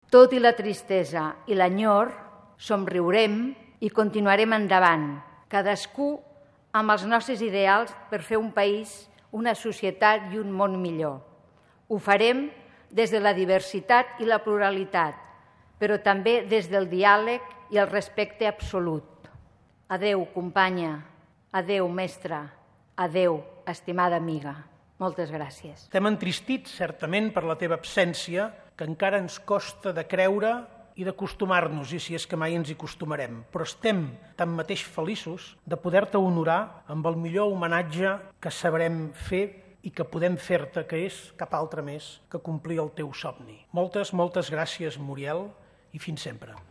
Tot i la tristesa i l'enyor, somriurem i continuarem endavant, cadascú amb els nostres ideals per fer un país, una societat i un món millor. Ho farem des de la diversitat i la pluralitat, però també des del diàleg i el respecte absolut. Adéu, companya. Adéu, mestra. Adéu, estimada amiga. Moltes gràcies. Estem entristits, certament, per la teva absència, que encara ens costa de creure i d'acostumar-nos, i si és que mai ens hi acostumarem. Però estem tanmateix feliços de poder-te honorar amb el millor homenatge que sabrem fer i que podem fer-te, que és cap altre més que complir el teu somni. Moltes, moltes gràcies, Muriel, i fins sempre.